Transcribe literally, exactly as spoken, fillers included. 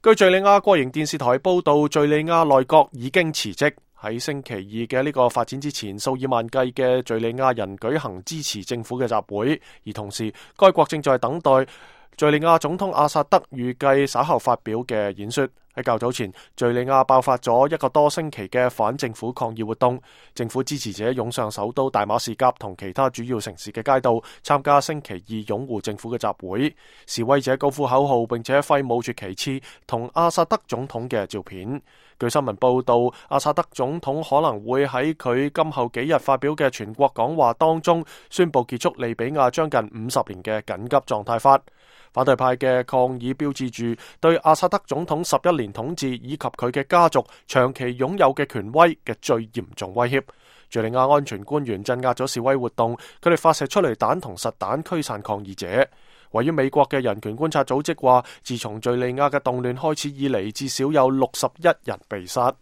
據敘利亞國營電視台報道，敘利亞內閣已經辭職。喺星期二嘅呢個發展之前，數以萬計嘅敘利亞人舉行支持政府嘅集會，而同時該國正在等待敘利亞總統阿薩德預計稍後發表嘅演說。喺較早前，敘利亞爆發咗一個多星期嘅反政府抗議活動，政府支持者湧上首都大馬士革同其他主要城市嘅街道，參加星期二擁護政府嘅集會。示威者高呼口號，並且揮舞住旗幟同阿薩德總統嘅照片。據新聞報道，阿薩德總統可能會喺佢今後幾日發表嘅全國講話當中，宣布結束利比亞將近五十年嘅緊急狀態法。反對派嘅抗議標誌住對阿薩德總統十一年統治以及佢嘅家族長期擁有嘅權威嘅最嚴重威脅。敘利亞安全官員鎮壓咗示威活動，佢哋發射出嚟彈同實彈驅散抗議者。位於美國嘅人權觀察組織話，自從敘利亞嘅動亂開始以嚟，至少有六十一人被殺。